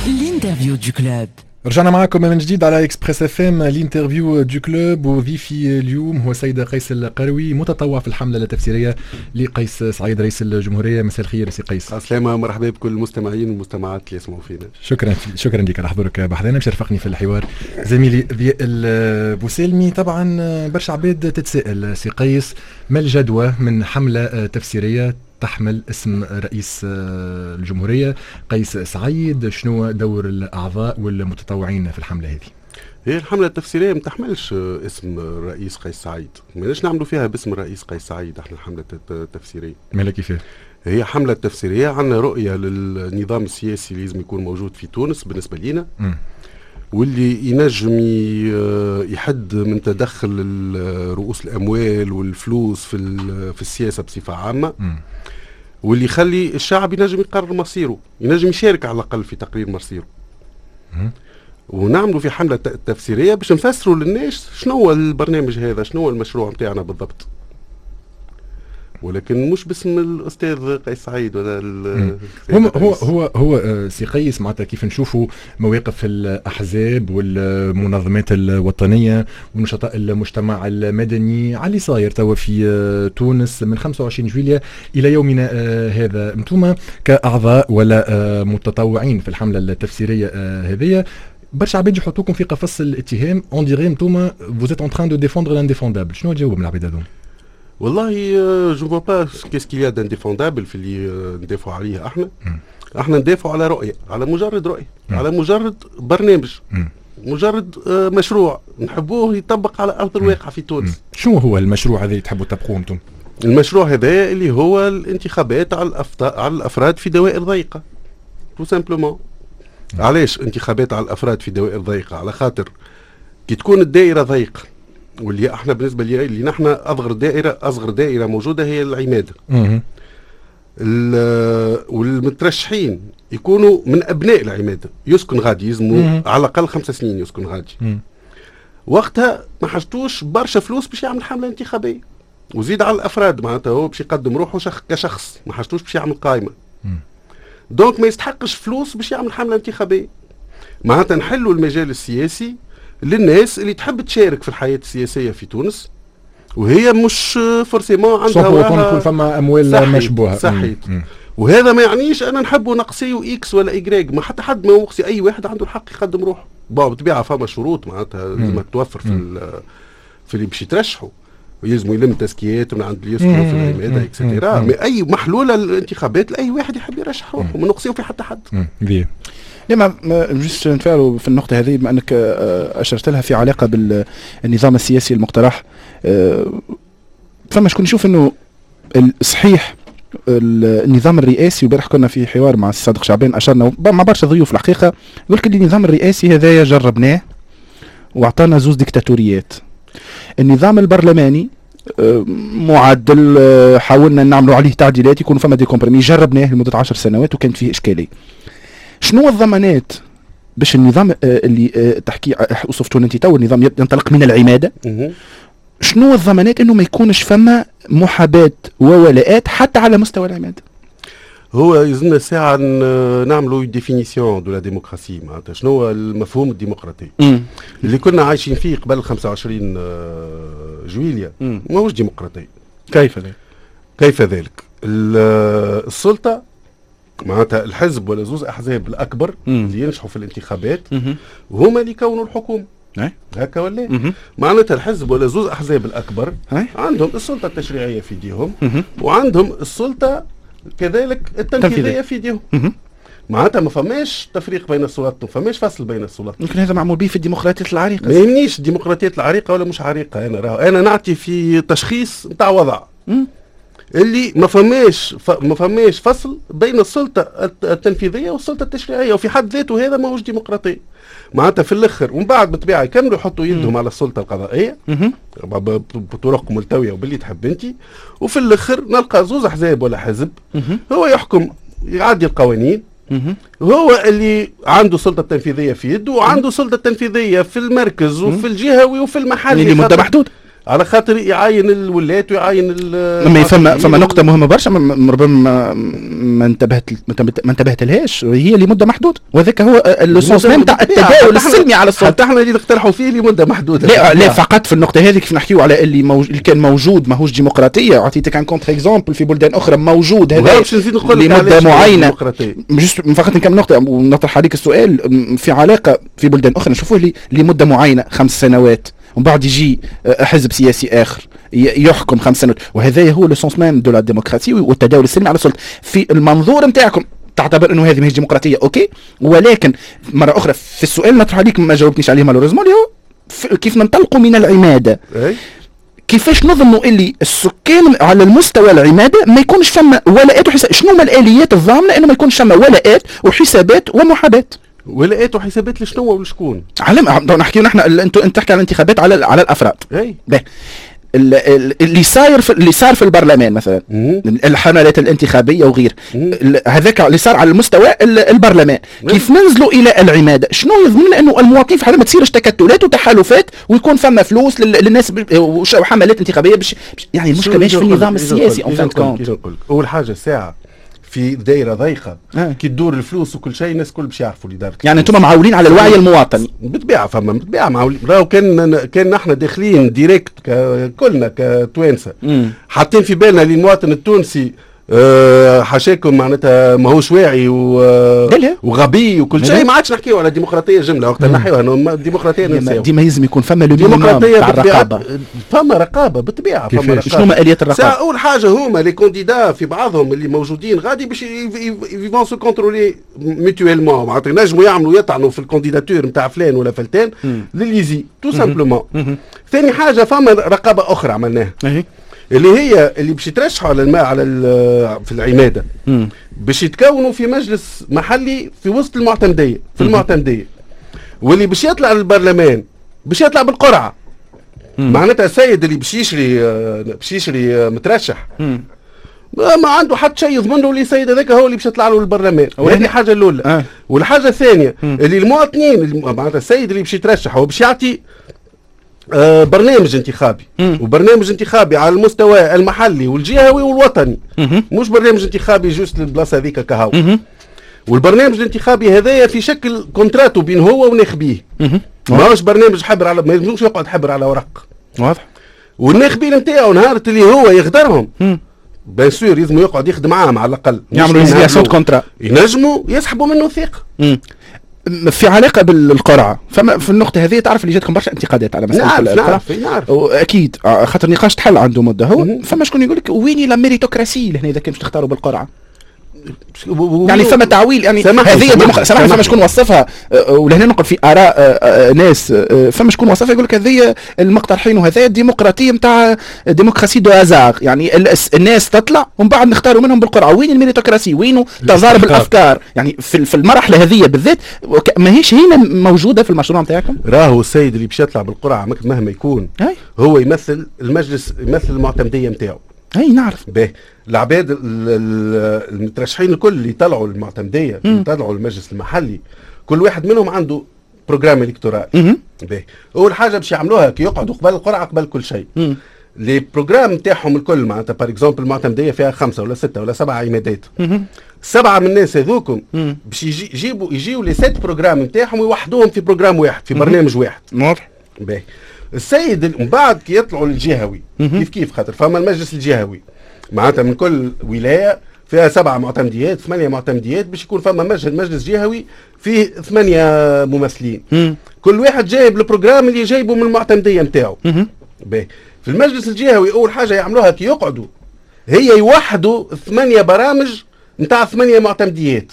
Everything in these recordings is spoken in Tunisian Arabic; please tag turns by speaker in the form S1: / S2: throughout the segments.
S1: L'interview du club.
S2: رجعنا معكم من جديد على Express FM، l'interview du club. وضيفي اليوم هو سيد قيس القروي، متطوع في الحملة التفسيرية لقيس سعيد رئيس الجمهوريه. مساء الخير سي قيس.
S3: السلامة، مرحبا بكل المستمعين والمستمعات اللي يسمعوا فينا.
S2: شكرا، شكرا لك على حضورك بحذانا. باش يرافقني في الحوار زميلي ضياء البوسالمي. طبعا برشا عباد تتساءل سي قيس، ما الجدوى من حمله تفسيرية تحمل اسم رئيس الجمهورية قيس سعيد؟ شنو دور الأعضاء والمتطوعين في الحملة هذه؟
S3: هي الحملة التفسيرية ما تحملش اسم الرئيس قيس سعيد، ماناش نعملوا فيها باسم الرئيس قيس سعيد احنا الحملة التفسيرية.
S2: مالا كيفاه؟
S3: هي حملة تفسيرية، عندنا رؤية للنظام السياسي اللي لازم يكون موجود في تونس بالنسبة لنا، واللي ينجم يحد من تدخل رؤوس الأموال والفلوس في السياسة بصفة عامة، واللي يخلي الشعب ينجم يقرر مصيره، ينجم يشارك على الأقل في تقرير مصيره. ونعملوا في حملة تفسيرية باش نفسروا للناس شنو هو البرنامج هذا، شنو هو المشروع نتاعنا بالضبط، ولكن مش باسم الاستاذ قيس سعيد ولا
S2: هو سي قيس، معناتها كيف نشوفوا مواقف الاحزاب والمنظمات الوطنية ونشطاء المجتمع المدني على اللي صاير توا في تونس من 25 جويليا الى يومنا هذا، انتم كاعضاء ولا متطوعين في الحملة التفسيرية هذه، برشا عباد يحطوكم في قفص الاتهام، on dirait انتم vous êtes en train de défendre l'indéfendable. شنو تجاوب من العباد هذوما؟
S3: والله je vois pas qu'est-ce qu'il y a d'indéfendable في اللي ندافعوا عليه احنا. احنا ندافعوا على رؤيه، على مجرد رؤيه، على مجرد برنامج، مجرد مشروع نحبوه يطبق على ارض الواقع في تونس.
S2: شو هو المشروع هذا اللي تحبوا تطبقوه انتم؟
S3: المشروع هذا اللي هو الانتخابات على الافراد في دوائر ضيقه، tout simplement. علاش انتخابات على الافراد في دوائر ضيقه؟ على خاطر كي تكون الدائرة ضيقه، واللي احنا بالنسبة لي نحن اصغر دائره موجودة هي العماده، والمترشحين يكونوا من ابناء العماده، يسكن غادي، يلزموا على الاقل 5 سنين يسكن غادي. وقتها ما حاجتوش برشا فلوس باش يعمل حمله انتخابيه، وزيد على الافراد، معناتها هو باش يقدم روحه كشخص، ما حاجتوش باش يعمل قائمه، donc ما يستحقش فلوس باش يعمل حمله انتخابيه. معناتها نحلوا المجال السياسي للناس اللي تحب تشارك في الحياة السياسية في تونس، وهي مش forcément
S2: عندها وراها فما اموال مشبوهه.
S3: صحيح، وهذا ما يعنيش انا نحب نقصي X ولا Y، ما حتى حد ما يقصي، اي واحد عنده الحق يقدم روحه. bon، بالطبيعة فما شروط معناتها لازم توفر في اللي باش يترشحوا، ويلزموا يلم تزكيات من عند اللي يسكنوا في العماده et cetera، mais اي محلولة الانتخابات لاي واحد يحب يرشح روحه، ما نقصيو في حتى حد.
S4: لا، ما juste نتفاعلوا في النقطة هذه، بما أنك أشرت لها في علاقة بالنظام السياسي المقترح. فما شكون يشوف أنه صحيح النظام الرئاسي، وبارح كنا في حوار مع الصادق شعبان اشرنا، مع برشا ضيوف الحقيقه، يقول لك النظام الرئاسي هذايا جربناه واعطانا زوز ديكتاتوريات. النظام البرلماني معدل، حاولنا نعملوا عليه تعديلات يكون فما des compromis، جربناه لمدة 10 سنوات وكانت فيه اشكاليه. شنو الضمانات باش النظام اللي تحكي وصفته انت تو، النظام ينطلق من العماده، شنو الضمانات انه ما يكونش فما محاباة وولاءات حتى على مستوى العماده؟
S3: هو يلزمنا ساعة نعملوا définition de la démocratie، معناتها شنو هو المفهوم الديمقراطي اللي كنا عايشين فيه قبل 25 جويليا؟ ماهوش ديمقراطي.
S4: كيف ذلك؟
S3: كيف ذلك؟ السلطة، معناتها الحزب ولا زوز احزاب الاكبر اللي ينجحوا في الانتخابات هما اللي يكونوا الحكومه، هكا ولا؟ معناتها الحزب ولا زوز احزاب الاكبر عندهم السلطة التشريعية في ايديهم، وعندهم السلطة كذلك التنفيذية في ايديهم. معناتها ما فماش تفريق بين السلطات، ما فماش فصل بين السلطات.
S4: يمكن هذا معمول به في الديمقراطيات العريقه.
S3: ما يهمنيش الديمقراطيات العريقه ولا مش عريقه، انا راهو انا نعطي في تشخيص نتاع وضع اللي ما فماش فصل بين السلطة التنفيذية والسلطة التشريعيه، وفي حد ذاته هذا ماهوش ديمقراطي. معناتها في الاخر ومن بعد بالطبيعة يكملوا يحطوا يدهم على السلطة القضائية بطرق ملتويه وباللي تحب انت، وفي الاخر نلقى زوز احزاب ولا حزب هو يحكم، يعدي القوانين، هو اللي عنده السلطة التنفيذية في يده، وعنده السلطة التنفيذية في المركز وفي الجهوي وفي المحلي.
S4: لمدة محدوده.
S3: على خاطر يعاين الولات ويعاين
S4: ما فما نقطة مهمة برشا ربما ما انتبهت لهاش، هي لمدة محدودة، وهذاك هو le sens même تاع التداول السلمي على السلطة.
S3: حتى احنا اللي نقترحوا فيه لمدة محدودة.
S4: لا لا، فقط في النقطة هذه كيف نحكيو على اللي كان موجود ماهوش ديمقراطية، اعطيتك un contre-exemple في بلدان اخرى موجود هذا لمدة معينة. juste فقط نكمل نقطة ونطرح عليك السؤال في علاقة في بلدان اخرى نشوفوه لمدة معينة 5 سنوات، ومن بعد يجي حزب سياسي اخر يحكم 5 سنوات، وهذا هو le sens même de la démocratie والتداول السلمي على السلطه. في المنظور نتاعكم تعتبر انه هذه ماهيش ديمقراطيه، OK، ولكن مرة اخرى في السؤال نطرح عليك ما جاوبتنيش عليه malheureusement، اللي هو كيف ننطلقوا من العماده، كيفاش نضمنوا اللي السكان على المستوى العماده ما يكونش فما ولاءات وحساب؟ شنو هما الاليات الضامنه انه ما يكونش فما ولاءات وحسابات ومحاباه؟
S3: ولاءات وحسابات لشنو ولشكون؟
S4: على نحكي نحن، انت تحكي على الانتخابات على الافراد.
S3: اي.
S4: اللي صار في البرلمان مثلا، الحملات الانتخابية وغير هذاك اللي صار على المستوى البرلمان، كيف ننزلوا الى العماده شنو يضمن انه المواطنين في حال ما تصيرش تكتلات وتحالفات ويكون فما فلوس للناس وحملات انتخابية باش يعني المشكلة ماهيش في النظام السياسي en fin de compte؟
S3: اول حاجة ساعة في دائرة ضيقه كي تدور الفلوس وكل شيء، الناس الكل باش يعرفوا اللي دارت.
S4: يعني انتم معولين على الوعي المواطني؟
S3: بالطبيعه، فما بالطبيعة معولين. راهو كان نحن داخلين direct كلنا كتوانسه حاطين في بالنا اللي المواطن التونسي حاشاكم معناتها ماهوش واعي وغبي وكل شيء، ما عادش نحكيو على ديمقراطية جمله. وقت نحيوها الديمقراطية
S4: ننساو. ديما لازم يكون فما le
S3: ديمقراطية الرقابه. فما رقابه بالطبيعه، فما رقابه.
S4: شنو هما اليات الرقابة؟
S3: اول حاجة هما les candidats في بعضهم اللي موجودين غادي باش ils vont se contrôler mutuellement، معناتها ينجموا يعملوا يطعنوا في ال candidature نتاع فلان ولا فلتان لليزي tout simplement. ثاني حاجة فما رقابه اخرى عملناها اللي هي اللي باش يترشحوا على الماء على في العماده باش يتكونوا في مجلس محلي في وسط المعتمديه في المعتمديه، واللي باش يطلع للبرلمان باش يطلع بالقرعه. معناتها السيد اللي باش يشري مترشح ما عنده حتى شيء يضمن له اللي السيد هذاك هو اللي باش يطلع له البرلمان. هذه الحاجة الاولى. والحاجة الثانية اللي المواطنين، معناتها السيد اللي باش يترشح هو باش يعطي برنامج انتخابي، وبرنامج انتخابي على المستوى المحلي والجهوي والوطني، مش برنامج انتخابي juste للبلاصه هذيك كهو. والبرنامج الانتخابي هذايا في شكل contrat بين هو وناخبيه، ماهوش برنامج حبر على ما يلزمش يقعد حبر على ورق. والناخبين نتاعو نهار اللي هو يغدرهم، bien sûr لازم يقعد يخدم معاهم على الاقل.
S4: يعملوا résiliation contrat.
S3: ينجموا يسحبوا منه ثقه.
S4: في علاقة بالقرعه، فما في النقطة هذه تعرف اللي جاتكم برشا انتقادات على مسالة
S3: نعرف نعرف نعرف.
S4: اكيد، خاطر نقاش تحل عنده مده. هو فما شكون يقول لك ويني la méritocratie لهنا اذا كان باش تختاروا بالقرعه؟ يعني فما تعويل، يعني هذه سامحني، فما شكون وصفها ولهنا نقول في اراء ناس، فما شكون وصفها يقول لك هذه المقترحين وهذا الديمقراطية نتاع démocratie du hasard، يعني الناس تطلع ومن بعد نختاروا منهم بالقرعه. وين ال méritocratie؟ وين تضارب الافكار؟ يعني في المرحلة هذه بالذات ماهيش هنا موجودة في المشروع نتاعكم.
S3: راهو السيد اللي باش يطلع بالقرعة مهما يكون هو يمثل المجلس، يمثل المعتمديه نتاعو.
S4: اي نعرف.
S3: باهي، العباد المترشحين الكل اللي طلعوا المعتمديه، اللي طلعوا المجلس المحلي، كل واحد منهم عنده programme électoral. باهي، اول حاجة باش يعملوها كي يقعدوا قبل القرعه، قبل كل شيء، les programmes نتاعهم الكل، معناتها par exemple المعتمديه فيها خمسة ولا ستة ولا سبعة عمادات، سبعة من الناس هذوكم باش يجيبوا يجيو les sept programmes نتاعهم ويوحدوهم في programme واحد، في برنامج واحد. باهي، السيد من بعد كي يطلعوا للجهوي كيف كيف، خاطر فما المجلس الجهوي، معناتها من كل ولاية فيها سبعة معتمديات، ثمانية معتمديات، باش يكون فما مجلس جهوي فيه ثمانية ممثلين. كل واحد جايب ال programme اللي جايبه من المعتمديه نتاعو. باهي، في المجلس الجهوي اول حاجة يعملوها كي يقعدوا هي يوحدوا ثمانية برامج نتاع ثمانية معتمديات،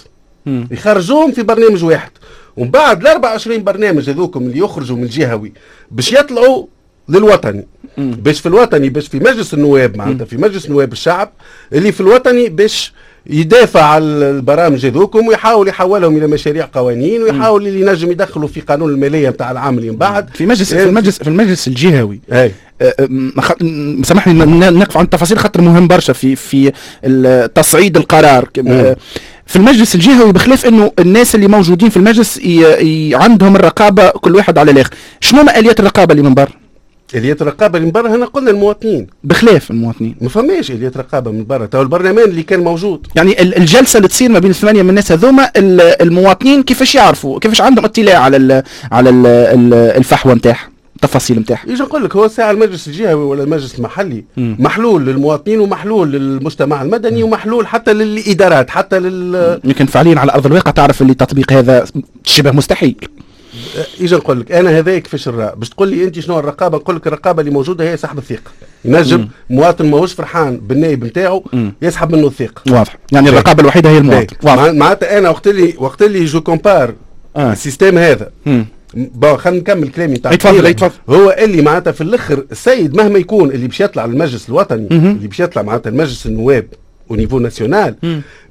S3: يخرجوهم في برنامج واحد، ومن بعد ال 24 برنامج هذوكم اللي يخرجوا من الجهوي باش يطلعوا للوطني، باش في الوطني، باش في مجلس النواب، معناتها في مجلس نواب الشعب اللي في الوطني، باش يدافع على البرامج هذوكم ويحاول يحولهم الى مشاريع قوانين ويحاول اللي ينجم يدخلوا في قانون المالية نتاع العام اللي من بعد.
S4: في المجلس الجهوي.
S3: اي.
S4: سامحني نقف عن التفاصيل خاطر مهم برشا في تصعيد القرار في المجلس الجهوي، بخلاف انه الناس اللي موجودين في المجلس عندهم الرقابة كل واحد على الاخر، شنو ما اليات الرقابة اللي من برا؟
S3: اليات الرقابة اللي من برا، هنا قلنا المواطنين.
S4: بخلاف المواطنين
S3: ما فماش اليات رقابه من برا، تو البرلمان اللي كان موجود.
S4: يعني الجلسة اللي تصير ما بين الثمانية من الناس هذوما، المواطنين كيفاش يعرفوا، كيفاش عندهم اطلاع على الفحوى نتاعها، التفاصيل نتاعها؟
S3: يجي نقول لك، هو ساعة المجلس الجهوي ولا المجلس المحلي محلول للمواطنين ومحلول للمجتمع المدني ومحلول حتى للادارات، حتى لل
S4: يمكن فعليا على ارض الواقع تعرف اللي تطبيق هذا شبه مستحيل.
S3: اجا نقول لك انا هذا كيفاش باش تقول لي انت شنو الرقابه، نقول لك الرقابة اللي موجودة هي سحب الثقه. ينجم مواطن ماهوش فرحان بالنائب نتاعو يسحب منه الثقه.
S4: واضح، يعني الرقابة الوحيدة هي المواطن.
S3: واضح. معناتها انا وقت اللي je compare ال système هذا، bon خلينا نكمل كلامي نتاع.
S4: تفضل تفضل.
S3: هو اللي معناتها في الاخر السيد مهما يكون اللي باش يطلع للمجلس الوطني، اللي باش يطلع معناتها المجلس النواب au niveau national،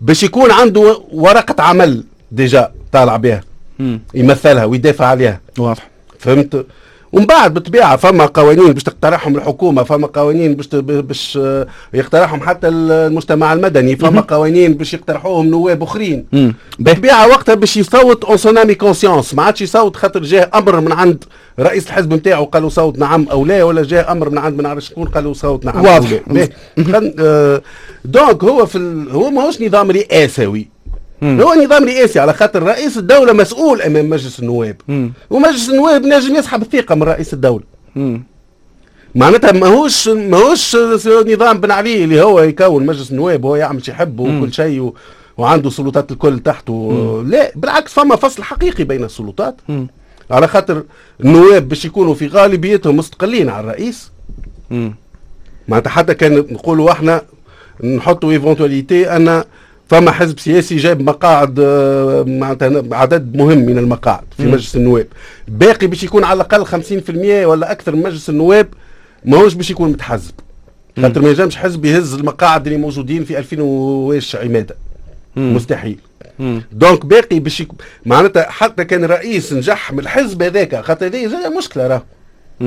S3: باش يكون عنده ورقة عمل déjà طالع بها، يمثلها ويدافع عليها. فهمت؟ ومن بعد بالطبيعة فما قوانين باش تقترحهم الحكومه، فما قوانين باش يقترحهم حتى المجتمع المدني، فما قوانين باش يقترحوهم نواب اخرين. بالطبيعة وقتها باش يصوت en son âme et conscience، ما عادش يصوت خاطر جاه امر من عند رئيس الحزب نتاعو قالوا صوت نعم او لا، ولا جاه امر من عند ما نعرفش شكون قالوا صوت نعم. او لا. Donc هو ماهوش نظام رئاسوي، هو نظام رئاسي على خاطر رئيس الدولة مسؤول أمام مجلس النواب، ومجلس النواب نجم يسحب الثقة من رئيس الدولة. معناتها ماهوش نظام بن علي اللي هو يكون مجلس النواب وهو يعمل شي يحب وكل شيء وعنده سلطات الكل تحته. لا بالعكس، فما فصل حقيقي بين السلطات، على خاطر النواب باش يكونوا في غالبيتهم مستقلين على الرئيس. معناتها حتى كان نقولوا احنا نحطوا éventualité ان فما حزب سياسي جاب مقاعد، معناتها عدد مهم من المقاعد في مجلس النواب، باقي باش يكون على الاقل 50% ولا اكثر من مجلس النواب ماهوش باش يكون متحزب، خاطر ما ينجمش حزب يهز المقاعد اللي موجودين في 2000 وواش عماده، مستحيل. donc باقي باش معناتها حتى كان رئيس نجح من الحزب هذاك، خاطر هذه مشكلة راه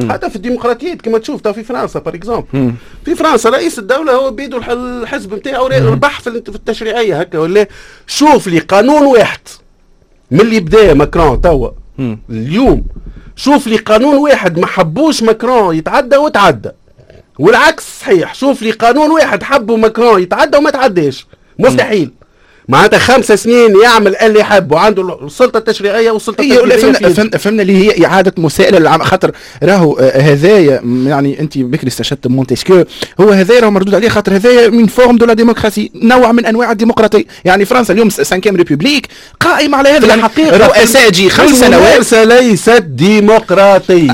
S3: حتى في الديمقراطيات كما تشوف في فرنسا par exemple. في فرنسا رئيس الدولة هو بيدو الحزب نتاعو ربح في التشريعيه، هكا ولا؟ شوف لي قانون واحد من اللي بدا ماكرون توا اليوم، شوف لي قانون واحد ما حبوش ماكرون يتعدى وتعدى، والعكس صحيح، شوف لي قانون واحد حبوا ماكرون يتعدى وما تعداش. مستحيل. معناتها 5 سنين يعمل اللي يحب وعنده السلطة التشريعية والسلطة
S4: التنفيذيه. فهمنا اللي هي اعاده مساءله للعام، خاطر راهو هذايا يعني انت بكري استشهدت مونتسكيو، هو هذايا راهو مردود عليه، خاطر هذايا une forme de la démocratie، نوع من انواع الديمقراطيه. يعني فرنسا اليوم cinquième république قائمة على هذا، يعني
S3: الحقيقة
S4: رؤساء تجي 5 سنوات.
S3: ليست ديمقراطيه،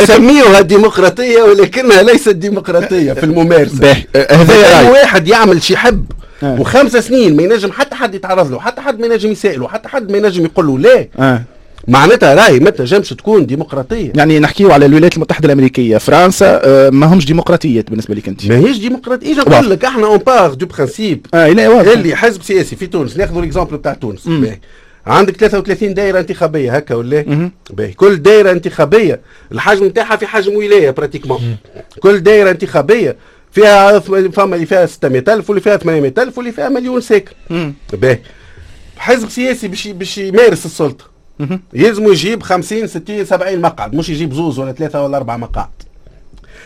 S3: يسميوها ديمقراطية ولكنها ليست ديمقراطية في الممارسه.
S4: هذا
S3: واحد يعمل شي يحب و5 سنين ما ينجم حتى حد يتعرض له، حتى حد ما ينجم يسائله، حتى حد ما ينجم يقول له لا. معناتها راهي ما تنجمش تكون ديمقراطيه.
S4: يعني نحكيو على الولايات المتحدة الامريكيه، فرنسا، ما همش ديمقراطيات بالنسبة لك انت؟
S3: ماهيش ديمقراطيه. نقول لك احنا on part du principe
S4: لا واضح.
S3: اللي حزب سياسي في تونس، ناخذ l'exemple بتاع تونس، عندك 33 دائرة انتخابيه، هكا ولا؟ باهي، كل دائرة انتخابية الحجم نتاعها في حجم ولاية pratiquement. كل دائرة انتخابية فيها، فما اللي فيها 600000 واللي فيها 800000 واللي فيها مليون ساكن. باهي، حزب سياسي باش يمارس السلطة يلزم يجيب 50 60 70 مقعد، مش يجيب زوز ولا ثلاثة ولا اربعة مقاعد.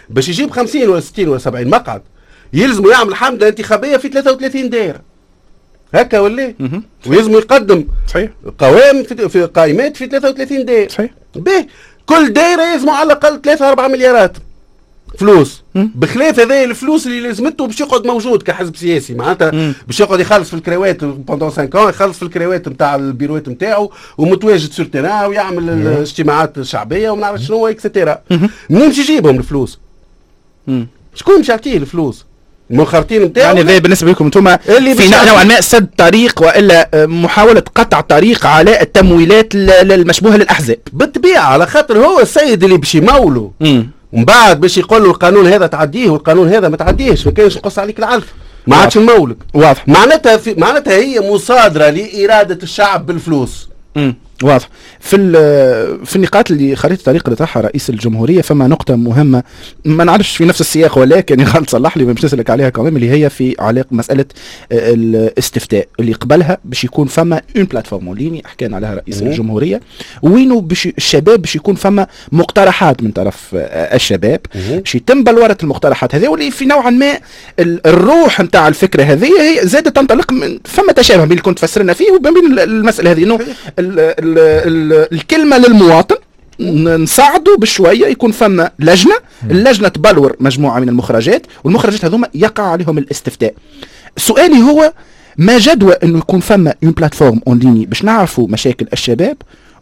S3: باش يجيب 50 ولا 60 ولا 70 مقعد يلزم يعمل حمله انتخابية في 33 دائرة، هكا ولا؟ ويلزم يقدم قوائم في قائمات في 33 دائرة. به، كل دائرة يلزم على الاقل 3 4 مليارات فلوس، بخلاف هذا الفلوس اللي لازمته باش يقعد موجود كحزب سياسي، معناتها باش يقعد يخلص في الكراوات pendant 5 ans، يخلص في الكراوات نتاع البيروات نتاعو ومتواجد sur terrain ويعمل الاجتماعات الشعبية وما نعرف شنو et cetera. منين باش يجيبهم الفلوس؟ شكون باش يعطيه الفلوس؟ المنخرطين نتاعو.
S4: يعني هذا بالنسبة لكم انتم في نوعا ما سد طريق والا محاولة قطع طريق على التمويلات المشبوهة للاحزاب.
S3: بالطبيعه، على خاطر هو السيد اللي باش يمولوا ومن بعد باش يقول له القانون هذا تعديه والقانون هذا ما تعديهش، ما كانش نقص عليك العلف، ما عادش نمولك. معناتها هي مصادره لارادة الشعب بالفلوس.
S4: واضح. في النقاط اللي خريطة الطريق اللي طرحها رئيس الجمهورية فما نقطة مهمة، ما نعرفش في نفس السياق ولكن غلط صلح لي باش نسالك عليها كمان، اللي هي في علاقة مسالة الاستفتاء اللي قبلها باش يكون فما une plateforme en ligne حكينا عليها رئيس الجمهورية، وينو باش الشباب باش يكون فما مقترحات من طرف الشباب باش يتم بلورة المقترحات هذه، واللي في نوعا ما الروح نتاع الفكرة هذه هي زادت تنطلق من فما تشابه بين اللي كنت فسرنا فيه وبين المسالة هذه، انه الكلمة للمواطن نساعده بشوية يكون فما لجنة، اللجنة تبلور مجموعة من المخرجات، والمخرجات هذوما يقع عليهم الاستفتاء. سؤالي هو ما جدوى انه يكون فما une plateforme en ligne باش نعرفوا مشاكل الشباب،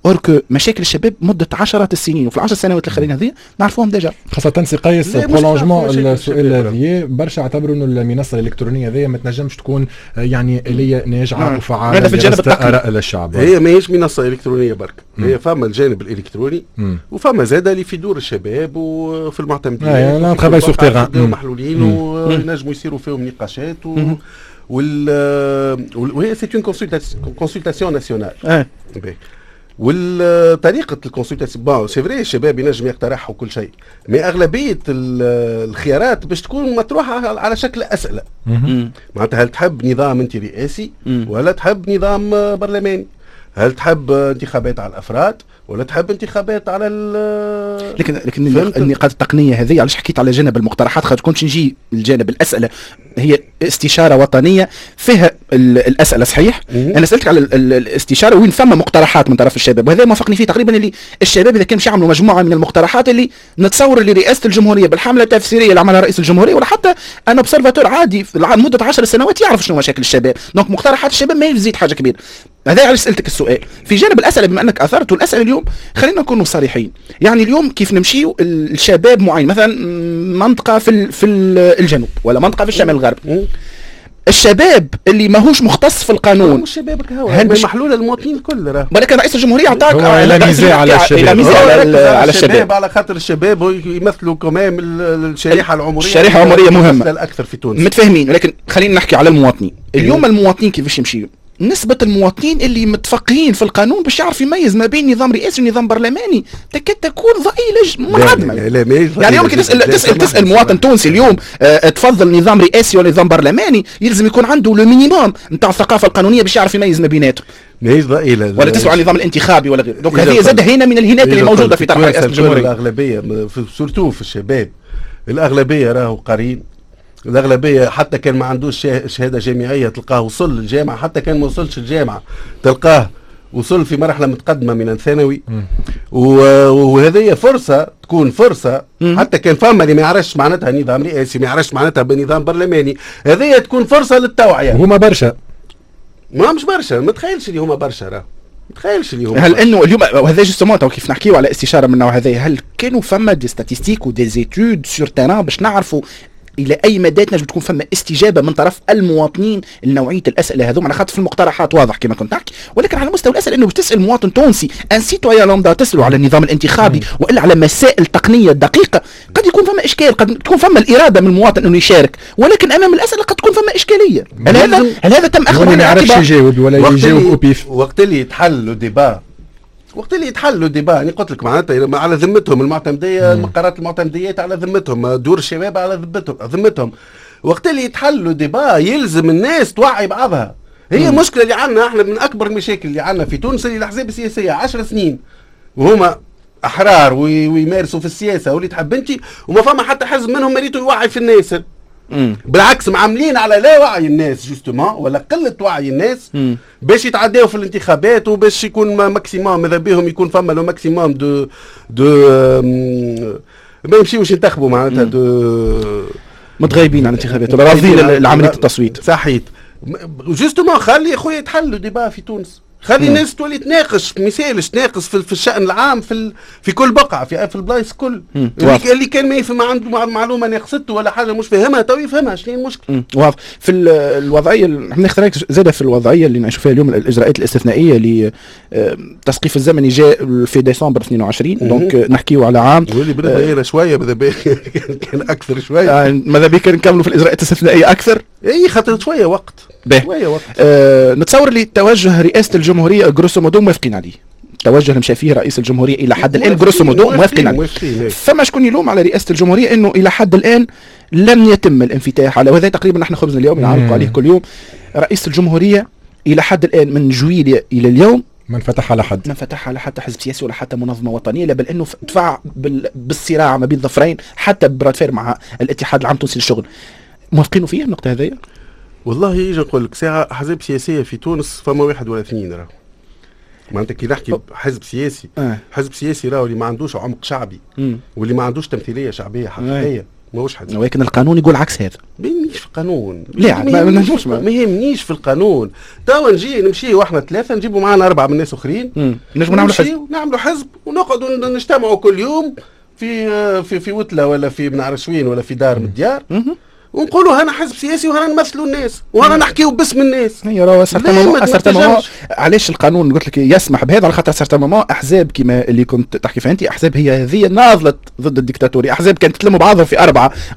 S4: or que مشاكل الشباب مده عشرات السنين، وفي العشر سنوات الاخرين هذه نعرفوهم déjà.
S2: خاصة سي قيس prolongement السؤال هذه، برشا اعتبروا انه المنصة الالكترونية هذه ما تنجمش تكون يعني آلية ناجعة وفعالة.
S4: هذا في الجانب التقني.
S2: آراء للشعب.
S3: هي ماهيش منصة الكترونية برك، هي فما الجانب الالكتروني وفما زاد اللي في دور الشباب وفي المعتمدين
S2: لا travail sur terrain.
S3: محلولين وينجموا يصيروا فيهم نقاشات وهي c'est une consultation nationale. والطريقة ال consultation، bon c'est vrai الشباب ينجم يقترح وكل شيء، mais اغلبية الخيارات باش تكون مطروحة على شكل اسئله، معناتها هل تحب نظام انت رئاسي ولا تحب نظام برلماني؟ هل تحب انتخابات على الافراد ولا تحب انتخابات على
S4: لكن النقاط التقنية هذه علاش حكيت على جانب المقترحات، خاطر كنت نجي الجانب الاسئلة هي استشاره وطنية فيها الاسئلة صحيح. انا سالتك على الاستشارة وين ثم مقترحات من طرف الشباب، وهذا موافقني فيه تقريبا، اللي الشباب اذا كان باش يعملوا مجموعة من المقترحات اللي نتصور اللي رئاسة الجمهورية بالحمله التفسيرية اللي عملها رئيس الجمهورية، ولا حتى un observateur عادي مده 10 سنوات يعرف شنو مشاكل الشباب، donc مقترحات الشباب ما يزيد حاجة كبيرة. هذا علاش سالتك السؤال في جانب الاسئلة بما انك اثرت الاسئلة. اليوم خلينا نكونوا صريحين، يعني اليوم كيف نمشيو الشباب معين مثلا منطقة في الجنوب ولا منطقة في الشمال الغربي، الشباب اللي ماهوش مختص في القانون،
S3: مش شباب هل محلولة للمواطنين الكل راه،
S4: ولكن رئيس الجمهورية اعطاك
S2: على الشباب،
S4: على الشباب،
S3: على خاطر الشباب يمثلوا كمان الشريحة العمرية،
S4: الشريحة العمرية مهمة
S3: الاكثر في تونس،
S4: متفاهمين. ولكن خلينا نحكي على المواطنين اليوم. المواطنين كيفاش يمشيوا؟ نسبة المواطنين اللي متفقهين في القانون باش يعرف يميز ما بين نظام رئاسي ونظام برلماني تكاد تكون ضئيلة، منعدمة. يعني يمكن تسأل مواطن تونسي اليوم تفضل نظام رئاسي ولا نظام برلماني، يلزم يكون عنده le minimum نتاع الثقافة القانونية باش يعرف يميز ما بيناتهم.
S3: ماهيش ضئيلة.
S4: ولا تسأل عن النظام الانتخابي ولا غيره. donc هذه زاد هنا من الهنات اللي موجودة في طرح رئاسة الجمهورية.
S3: الأغلبية surtout في الشباب، الأغلبية راهو قارين، الأغلبية حتى كان ما عندوش شهادة جامعية تلقاه وصل للجامعة، حتى كان ما وصلش الجامعة تلقاه وصل في مرحلة متقدمة من الثانوي. وهذه فرصة، تكون فرصة حتى كان فما اللي ما يعرفش معناتها نظام رئاسي، ما يعرفش معناتها بنظام برلماني، هذه تكون فرصة للتوعية.
S2: هما برشا،
S3: ما مش برشا، ما تخيلش اللي هما برشا راه، ما تخيلش اللي هما.
S4: هل انه اليوم وهذا justement كيف نحكيو على استشارة من النوع هذا، هل كانوا فما des statistiques و des études sur terrain باش نعرفوا الى اي مدى تنجم تكون فما استجابة من طرف المواطنين لنوعيه الاسئلة هذوما؟ على خاطر في المقترحات واضح كما كنت تحكي، ولكن على مستوى الاسئلة انه تسال مواطن تونسي un citoyen lambda تساله على النظام الانتخابي والا على مسائل تقنية دقيقة، قد يكون فما اشكال، قد تكون فما الارادة من المواطن انه يشارك، ولكن امام الاسئلة قد تكون فما اشكالية. هل هذا تم اخذ
S2: ما يعرفش يجاوب ولا يجاوب au pif؟
S3: وقت اللي يتحل le débat، وقت اللي يتحلوا débat، يعني قلت لك معناتها على ذمتهم المعتمديه، المقرات المعتمديات على ذمتهم، دور الشباب على ذمتهم. وقت اللي يتحلوا débat يلزم الناس توعي بعضها. هي المشكلة اللي عندنا احنا، من اكبر المشاكل اللي عندنا في تونس اللي الاحزاب السياسية 10 سنين وهما احرار ويمارسوا في السياسة واللي تحب انت، وما فما حتى حزب منهم مريتو يوعي في الناس. بالعكس معاملين على لا وعي الناس justement، ولا قلة وعي الناس باش يتعداو في الانتخابات وباش يكون maximum، ماذا بهم يكون فما le maximum de ما يمشيوش ينتخبوا معناتها de
S4: متغيبين عن الانتخابات ولا رافضين عملية التصويت.
S3: صحيت، justement خلي خويا يتحلوا débat في تونس، خلي الناس تولي تناقش، مثالش تناقش في الشأن العام في كل بقعة في البلايص الكل. اللي كان ما يفهم، ما عنده معلومة ناقصته ولا حاجة مش فاهمها تو يفهمها، شنو المشكلة؟
S4: واضح. في الوضعية ناخذ رايك زادة في الوضعية اللي نعيشوا فيها اليوم، الإجراءات الاستثنائية للتسقيف الزمني جاء في ديسمبر 22، donc نحكيو على عام.
S3: واللي بالنسبة شوية ماذا بيا كان أكثر شوية.
S4: ماذا بيا كان نكملوا في الإجراءات الاستثنائية أكثر؟
S3: اي خاطر شوية وقت. شوية وقت.
S4: نتصور اللي توجه رئاسة الجمهورية grosso modo موافقين عليه. التوجه اللي مشى فيه رئيس الجمهورية الى حد الان grosso modo موافقين عليه. فما شكون يلوم على رئاسة الجمهورية انه الى حد الان لم يتم الانفتاح على، وهذا تقريبا نحن خبزنا اليوم نعلق عليه كل يوم. رئيس الجمهورية الى حد الان من جويليا الى اليوم
S2: ما انفتح على حد،
S4: ما انفتح على حتى حزب سياسي ولا حتى منظمة وطنيه، لا بل انه دفع بالصراع ما بين ظفرين حتى bras de fer مع الاتحاد العام التونسي للشغل. موافقين فيه النقطة هذه؟
S3: والله يجي نقول لك ساعة احزاب سياسية في تونس فما واحد ولا اثنين، راه معناتها كي نحكي حزب سياسي حزب سياسي راهو اللي ما عندوش عمق شعبي واللي ما عندوش تمثيلية شعبية حقيقية ماهوش حزب.
S4: ولكن القانون يقول عكس هذا.
S3: ما يهمنيش في القانون.
S4: لا
S3: ما يهمنيش في القانون. توا نجي نمشي واحنا ثلاثة نجيبوا معنا اربعة من الناس اخرين،
S4: نجموا نعملوا حزب،
S3: نعملوا حزب ونقعدوا نجتمعوا كل يوم في في في وتله ولا في بنعرش وين ولا في دار من الديار، ونقولوا هنا حزب سياسي وهنا نمثلوا الناس وهنا نحكيوا باسم الناس.
S4: هي راهو à certain moment علاش القانون قلت لك يسمح بهذا؟ على خاطر certainement احزاب كما اللي كنت تحكي فيها انت، احزاب هي هذه ناضلت ضد الديكتاتوريه، احزاب كانت تلموا بعضهم في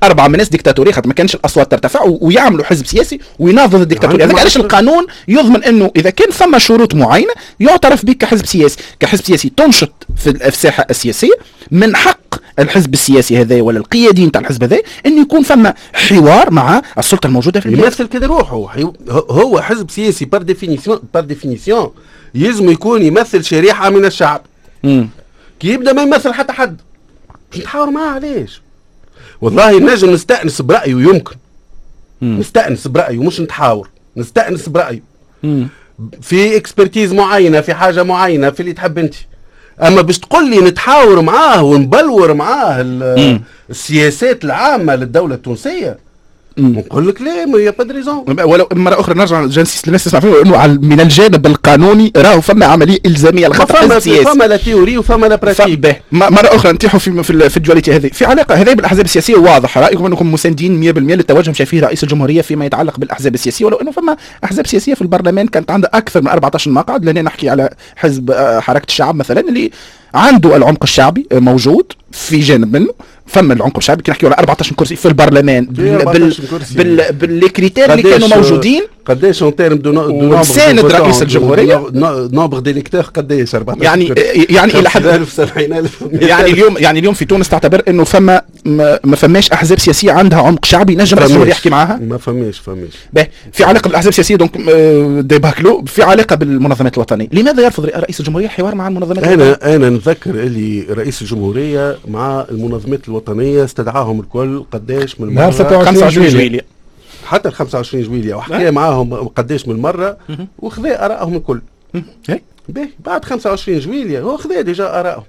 S4: اربعه من ناس ديكتاتوريه خاطر ما كانش الاصوات ترتفع، ويعملوا حزب سياسي ويناضلوا ضد الديكتاتوريه. هذاك علاش القانون يضمن انه اذا كان ثم شروط معينة يعترف بك كحزب سياسي، كحزب سياسي تنشط في الساحة السياسية. من حق الحزب السياسي هذا ولا القياديين تاع الحزب هذا انه يكون ثم حوار مع السلطة الموجودة في البلاد.
S3: يمثل كده روحه، هو حزب سياسي par définition، par définition يلزم يكون يمثل شريحة من الشعب. كي يبدا ما يمثل حتى حد باش نتحاور معاه علاش؟ والله نجم نستانس برايه، يمكن نستانس برايه مش نتحاور، نستانس برايه في expertise معينة، في حاجة معينة، في اللي تحب انت. اما باش تقول لي نتحاور معاه ونبلور معاه السياسات العامة للدولة التونسية، نقول لك لا، mais y a pas de raison.
S4: ولو مرة اخرى نرجع j'insiste للناس تسمع فيه انه من الجانب القانوني راهو فما عملية الزامية
S3: لخاطر حزب سياسي، فما la théorie وفما la pratique.
S4: مرة اخرى نتيحوا في ال dualité هذه في علاقة هذه بالاحزاب السياسية. واضح رايكم انكم مساندين 100% للتوجه مشى فيه رئيس الجمهورية فيما يتعلق بالاحزاب السياسية، ولو انه فما احزاب سياسية في البرلمان كانت عندها اكثر من 14 مقعد. لهنا نحكي على حزب حركة الشعب مثلا اللي عنده العمق الشعبي موجود في جانب منه، فما العمق الشعبي كي نحكيو على 14 كرسي في البرلمان بال les critères اللي كانوا موجودين.
S3: قداش en termes de
S4: ساند رئيس الجمهورية
S3: nombre d'électeurs قداش 14
S4: يعني الى حد
S3: 70000.
S4: يعني اليوم في تونس تعتبر انه فما ما فماش احزاب سياسية عندها عمق شعبي نجم رئيس الجمهورية يحكي معاها؟
S3: ما فماش.
S4: باهي، في علاقة بالاحزاب السياسية donc débat clos. في علاقة بالمنظمات الوطنية، لماذا يرفض رئيس الجمهورية الحوار مع المنظمات
S3: الوطنية؟ انا نتذكر اللي رئيس الجمهورية مع المنظمات الوطنية استدعاهم الكل قداش من مرة،
S4: 25 جويلية
S3: حتى ال 25 جويلية وحكى معاهم قداش من مرة وخذا ارائهم الكل. باهي، بعد 25 جويلية هو خذا déjà ارائهم.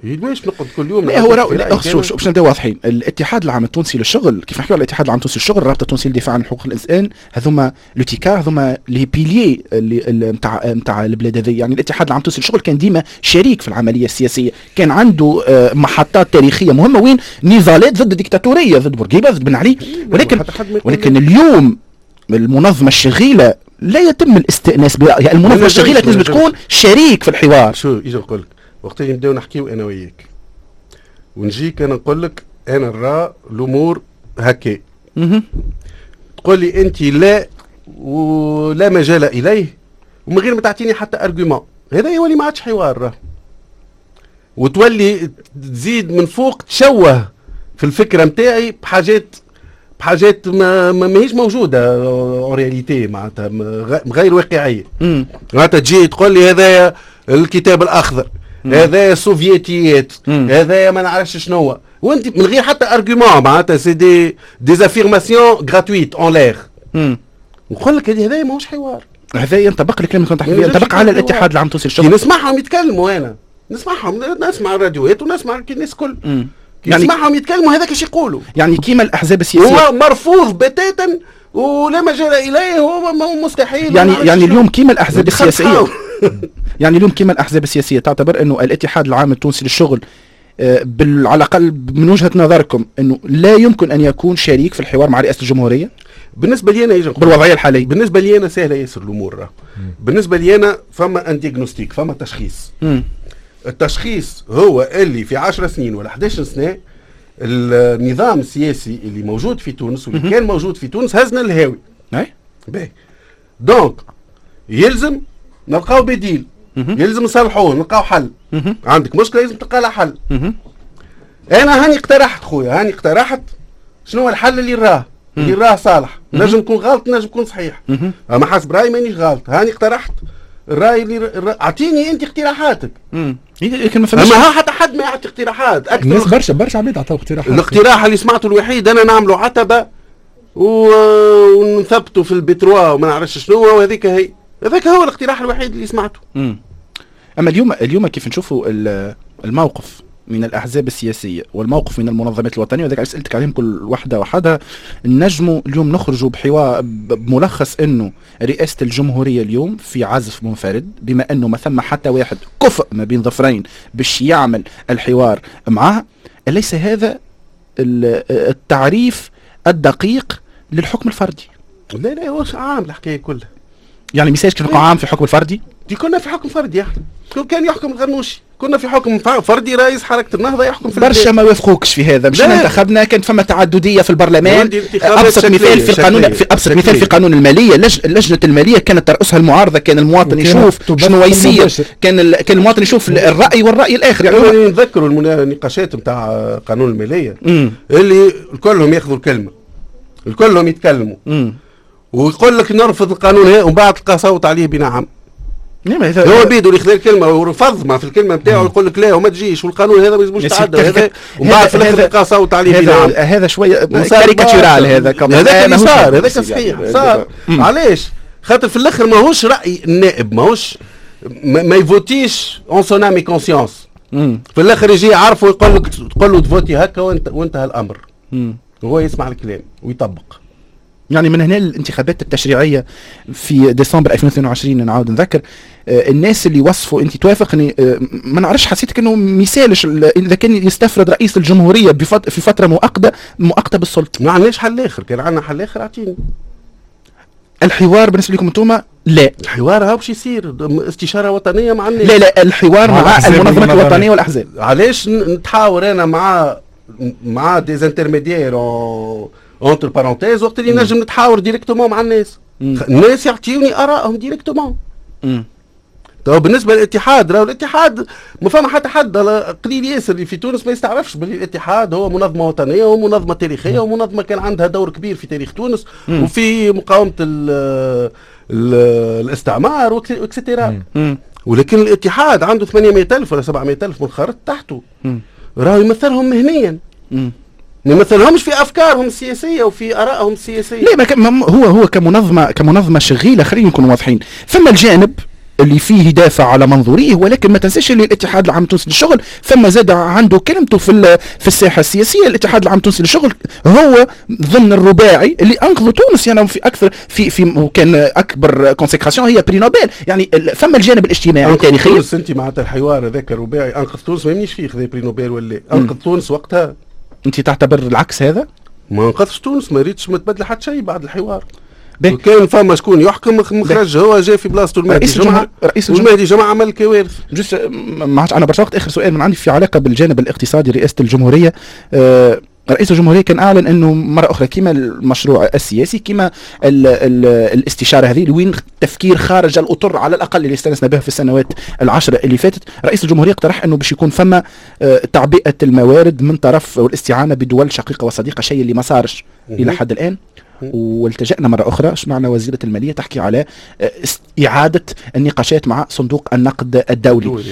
S3: ليش نقعد كل يوم؟
S4: لا هو لا شوف باش نبداو واضحين، الاتحاد العام التونسي للشغل كيف نحكيو على الاتحاد العام التونسي للشغل، الرابطة التونسية للدفاع عن حقوق الانسان، هذوما l'UTICA، هذوما les piliers اللي نتاع البلاد هذه. يعني الاتحاد العام التونسي للشغل كان ديما شريك في العملية السياسية، كان عنده محطات تاريخية مهمة وين نضالات ضد الديكتاتوريه، ضد بورقيبة، ضد بن علي. ولكن اليوم المنظمة الشغيله لا يتم الاستئناس برايها، المنظمة الشغيله تنجم تكون شريك في الحوار.
S3: شو اجي نقول لك وقت اللي نبداو نحكيو انا وياك ونجيك انا نقول لك انا نرى الامور هكا، تقول لي انت لا ولا مجال اليه ومن غير ما تعطيني حتى argument، هذا يولي ما عادش حوار، وتولي تزيد من فوق تشوه في الفكرة نتاعي بحاجات ما ماهيش موجودة en réalité، معناتها غير واقعية. معناتها تجي تقول لي هذايا الكتاب الاخضر، هذايا السوفيتيات، هذايا ما نعرفش شنو، وانت من غير حتى argument، معناتها c'est des affirmations gratuites en l'air. نقول لك هذايا ماهوش حوار.
S4: هذا ينطبق الكلام اللي كنت تحكي فيه، ينطبق على الاتحاد العام التونسي للشغل.
S3: نسمعهم يتكلموا، انا نسمعهم، نسمع الراديوات ونسمع الناس الكل، يعني نسمعهم يتكلموا هذاك ايش يقولوا.
S4: يعني كيما الاحزاب السياسية
S3: هو مرفوض بتاتا ولا مجال اليه، هو مستحيل.
S4: يعني اليوم كيما الاحزاب السياسية يعني اليوم كيما الاحزاب السياسية تعتبر انه الاتحاد العام التونسي للشغل على الاقل من وجهه نظركم انه لا يمكن ان يكون شريك في الحوار مع رئاسة الجمهورية؟
S3: بالنسبة لي انا
S4: بالوضعيه الحالية،
S3: بالنسبة لي انا سهلة ياسر الامور. بالنسبة لي انا فما un diagnostic، فما تشخيص. التشخيص هو اللي في 10 سنين ولا 11 سنة النظام السياسي اللي موجود في تونس واللي كان موجود في تونس هزنا الهاوي. باهي، donc يلزم نلقاو بديل. يلزم نصلحوه، نلقاو حل. عندك مشكلة لازم تلقى لها حل. انا هاني اقترحت خويا، هاني اقترحت شنو هو الحل اللي راه، اللي راه صالح. نجم نكون غلط نجم نكون صحيح، اما حسب رايي مانيش غلط. هاني اقترحت الراي اللي اعطيني انت اقتراحاتك.
S4: لكن ما فماش،
S3: اما حتى حد ما يعطي اقتراحات. اكثر
S2: الناس برشا عباد عطاو اقتراحات.
S3: الاقتراح اللي سمعته الوحيد انا نعملوا عتبة ونثبتوا في البتروا وما نعرفش شنو، وهذيك هي، هذاك هو الاقتراح الوحيد اللي سمعته.
S4: اما اليوم كيف نشوفوا الموقف من الأحزاب السياسية والموقف من المنظمات الوطنية، وذلك سألتك عليهم كل واحدة وحدها، نجموا اليوم نخرجوا بحوار بملخص أنه رئاسة الجمهورية اليوم في عزف منفرد، بما أنه ما ثم حتى واحد كفء ما بين ظفرين باش يعمل الحوار معاه. أليس هذا التعريف الدقيق للحكم الفردي؟
S3: لا لا، هو عام الحكاية كلها.
S4: يعني ميساج كيف عام في حكم الفردي؟
S3: دي كنا في حكم فردي، احنا كان يحكم الغنوشي، كنا في حكم فردي، رئيس حركة النهضة يحكم في
S4: برشا. ما وافقوكش في هذا، مشينا انتخبنا، كانت فما تعددية في البرلمان. ابسط مثال في القانون، في ابسط مثال في قانون المالية، لجنة المالية كانت ترأسها المعارضة، كان المواطن يشوف شنو يصير، كان المواطن يشوف الراي والراي الاخر.
S3: يعني نذكروا النقاشات نتاع قانون المالية اللي كلهم ياخذوا الكلمة، الكلهم يتكلموا ويقول لك نرفض القانون هذا، ومن بعد تلقى صوت عليه بنعم. هو بيدو اللي خذا الكلمة ورفض ما في الكلمة نتاعو، يقول لك لا وما تجيش والقانون هذا ما يلزموش يتعدى هذا، ومن بعد في الاخر تلقى صوت عليه بنعم.
S4: هذا شوية caricatural، هذا
S3: هذاك اللي صار، هذاك صحيح صار. علاش؟ خاطر في الاخر ماهوش راي النائب، ماهوش ما يفوتيش en son âme et conscience. في الاخر يجي يعرفه يقول لك، تقول له تفوتي هكا وانتهى الامر. هو يسمع الكلام ويطبق.
S4: يعني من هنا الانتخابات التشريعية في ديسمبر 2022، نعاود نذكر الناس اللي وصفوا، انت توافقني ما نعرفش، حسيتك انه مثالش اذا كان يستفرد رئيس الجمهورية في فترة مؤقتة بالسلطة.
S3: ما عندناش حل اخر، كان عندنا حل اخر اعطيني.
S4: الحوار بالنسبة لكم انتم لا،
S3: الحوار هاو باش يصير استشاره وطنية مع الناس.
S4: لا لا، الحوار مع المنظمات الوطنية والاحزاب.
S3: علاش نتحاور انا مع des intermédiaires entre parenthèses وقت اللي نجم نتحاور directement مع الناس؟ الناس يعطيوني ارائهم directement. تو بالنسبة للاتحاد، راهو الاتحاد ما فما حتى حد، قليل ياسر اللي في تونس ما يستعرفش باللي الاتحاد هو منظمة وطنية ومنظمة تاريخية ومنظمة كان عندها دور كبير في تاريخ تونس وفي مقاومة ال ال الاستعمار et cetera. ولكن الاتحاد عنده 800,000 ولا 700,000 منخرط تحته، راهو يمثلهم مهنيا، ما يمثلهمش في افكارهم السياسية وفي ارائهم السياسية.
S4: لا، هو كمنظمه شغيله، خلينا نكون واضحين، ثم الجانب اللي فيه يدافع على منظوريه، ولكن ما تنساش اللي الاتحاد العام التونسي للشغل ثم زاد عنده كلمته في الساحة السياسية. الاتحاد العام التونسي للشغل هو ضمن الرباعي اللي انقذوا تونس، يعني في اكثر في وكان اكبر consécration هي prix Nobel. يعني ثم الجانب الاجتماعي
S3: التاريخي. تونس انت معناتها الحوار هذاك الرباعي انقذ تونس، ما يهمنيش فيه خذا prix Nobel ولا انقذ تونس وقتها.
S4: انت تعتبر العكس هذا؟
S3: ما انقذش تونس، ما ريتش ما تبدل حتى شيء بعد الحوار. كان فما شكون يحكم مخرج، هو جاي في بلاصته المهدي جمعه، رئيس المهدي جمعه عمل كوارث.
S4: juste ما عادش عندنا برشا وقت. اخر سؤال من عندي في علاقة بالجانب الاقتصادي. رئاسة الجمهورية، رئيس الجمهورية كان اعلن انه مرة اخرى كما المشروع السياسي كما ال ال الاستشارة هذه وين تفكير خارج الاطر على الاقل اللي استانسنا به في السنوات العشرة اللي فاتت. رئيس الجمهورية اقترح انه باش يكون فما تعبئة الموارد من طرف والاستعانة بدول شقيقه وصديقه، شيء اللي ما صارش الى حد الان. والتجأنا مرة أخرى، سمعنا وزيرة المالية تحكي على إعادة النقاشات مع صندوق النقد الدولي.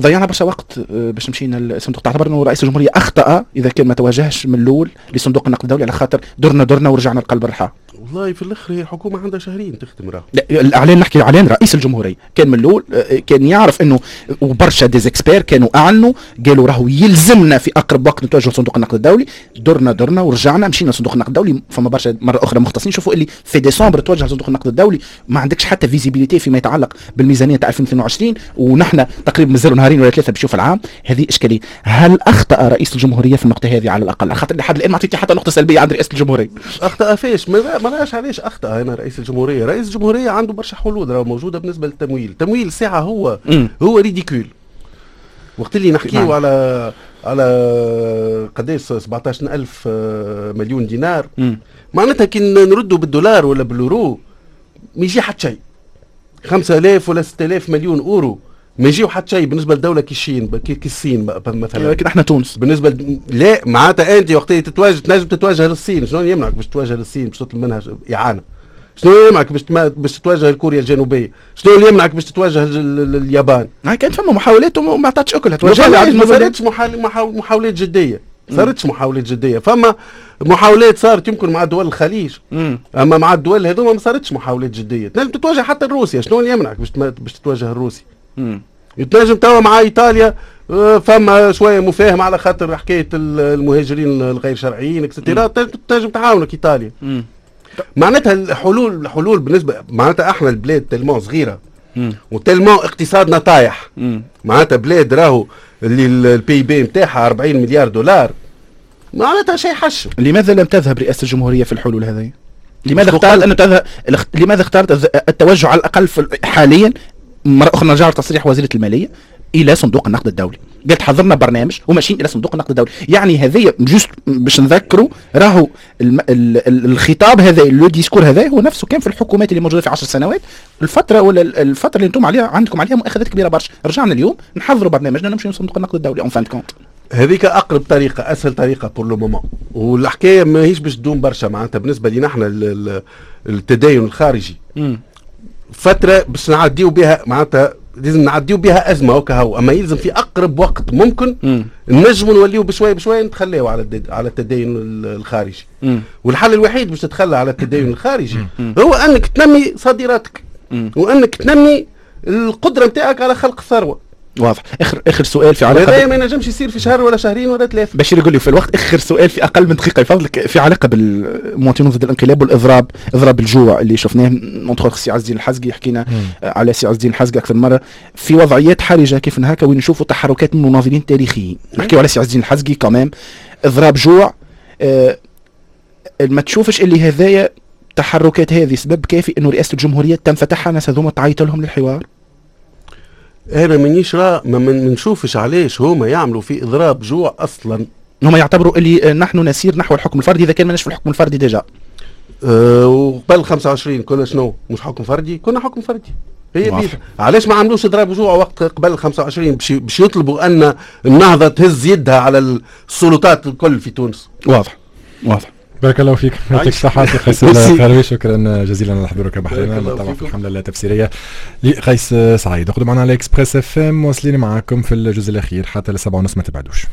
S4: ضيعنا برشا وقت باش مشينا للصندوق. تعتبر انه رئيس الجمهورية اخطا اذا كان ما تواجهش من الاول لصندوق النقد الدولي، على خاطر درنا ورجعنا لقلب الرحى؟
S3: والله في الاخر هي الحكومة عندها شهرين تخدم راه.
S4: لا، الاعلان، نحكي الاعلان رئيس الجمهورية كان من الاول كان يعرف انه، وبرشا des experts كانوا اعلنوا قالوا راهو يلزمنا في اقرب وقت نتوجه لصندوق النقد الدولي. درنا ورجعنا مشينا لصندوق النقد الدولي. فما برشا مرة اخرى مختصين شوفوا اللي في ديسمبر توجه لصندوق النقد الدولي، ما عندكش حتى visibilité فيما يتعلق بالميزانيه تاع 2022، ونحن تقريبا مازالوا نهارين ولا ثلاثة باش يوفى العام. هذه اشكالية. هل اخطا رئيس الجمهورية في النقطة هذه على الاقل؟ خاطر لحد الان ما عطيتني حتى نقطة سلبية عند رئاسة الجمهورية.
S3: اخطا فيش؟ ما راش علاش اخطا هنا رئيس الجمهورية. رئيس الجمهورية عنده برشا حلول راه موجودة بالنسبة للتمويل. التمويل ساعة هو ridicule. وقت اللي نحكيو على قداش 17,000 مليون دينار، معناتها كي نردوا بالدولار ولا باليورو ما يجي حتى شيء. 5000 ولا 6000 مليون اورو ما يجيو حتى شيء بالنسبة لدولة كي الصين، كي الصين مثلا.
S4: لكن احنا تونس
S3: بالنسبة لا معناتها انت وقت تتواجه تنجم تتواجه للصين، شنو يمنعك باش تتواجه للصين باش تطلب منها اعانه؟ شنو يمنعك باش تتواجه لكوريا الجنوبية؟ شنو اللي يمنعك باش تتواجه اليابان؟
S4: كانت فما محاولات وما عطاتش اكلها.
S3: ما صارتش محاولات جدية، صارتش محاولات جدية، فما محاولات صارت يمكن مع دول الخليج، اما مع الدول هذوما ما صارتش محاولات جدية. تنجم تتواجه حتى روسيا، شنو اللي يمنعك باش تتواجه الروسي؟ تنجم توا مع ايطاليا فما شوية مفاهمه على خاطر حكاية المهاجرين الغير شرعيين et cetera، تنجم تعاونك ايطاليا. معناتها الحلول بالنسبة معناتها احنا البلاد tellement صغيرة و tellement اقتصادنا طايح، معناتها بلاد راهو اللي ال PIB نتاعها 40 مليار دولار، معناتها شيء حشو.
S4: لماذا لم تذهب رئاسة الجمهورية في الحلول هذه؟ لماذا اختارت انه تذهب؟ لماذا اختارت التوجه على الاقل حاليا، مرة اخرى نرجع لتصريح وزيره المالية، الى صندوق النقد الدولي؟ قالت حضرنا برنامج وماشيين الى صندوق النقد الدولي. يعني هذه juste باش نذكروا راهو الخطاب هذا، le discours هذا هو نفسه كان في الحكومات اللي موجودة في 10 سنوات، الفترة ولا الفترة اللي انتم عليها عندكم عليها مؤاخذات كبيرة برشا. رجعنا اليوم نحضروا برنامجنا نمشي لصندوق النقد الدولي en fin de compte.
S3: هذيك اقرب طريقه، اسهل طريقه pour le moment، والحكاية ماهيش باش تدوم برشا. معناتها بالنسبة لنا احنا التدين الخارجي فترة باش نعديو بها، معناتها لازم نعديو بها ازمة وكهو، اما يلزم في اقرب وقت ممكن نجموا نوليو بشوية بشوية نتخلاو على التدين الخارجي. والحل الوحيد باش تتخلى على التدين الخارجي هو انك تنمي صادراتك وانك تنمي القدرة نتاعك على خلق الثروة.
S4: واضح. اخر سؤال في علاقة
S3: هذا ما ينجمش يصير في شهر ولا شهرين ولا ثلاثة.
S4: بشير يقول لي في الوقت. اخر سؤال في اقل من دقيقة يفضلك، في علاقة بالمواطنين ضد الانقلاب والاضراب، اضراب الجوع اللي شفناه entre سي عز الدين الحزقي، حكينا على سي عز الدين الحزقي اكثر مرة في وضعيات حرجه كيف هكا وين نشوفوا تحركات من مناضلين تاريخيين. نحكيو على سي عز الدين الحزقي quand même اضراب جوع، ما تشوفش اللي هذايا التحركات هذه سبب كافي انه رئاسة الجمهورية تنفتحها الناس هذوما تعيط لهم للحوار؟
S3: انا مانيش ما نشوفش علاش هما يعملوا في اضراب جوع اصلا.
S4: هما يعتبروا اللي نحن نسير نحو الحكم الفردي اذا كان ماناش في الحكم الفردي déjà.
S3: وقبل 25 كنا شنو؟ مش حكم فردي؟ كنا حكم فردي. هي بيت. علاش ما عملوش اضراب جوع وقت قبل 25 باش يطلبوا ان النهضة تهز يدها على السلطات الكل في تونس؟
S4: واضح واضح.
S2: بارك الله فيك، يعطيك الصحة سي قيس الخروي، شكرا جزيلا على حضورك بحذانا طبعا في الحملة التفسيرية لقيس سعيد. اقعدوا معنا على Express FM، واصلين معاكم في الجزء الأخير حتى ل7:30، ما تبعدوش.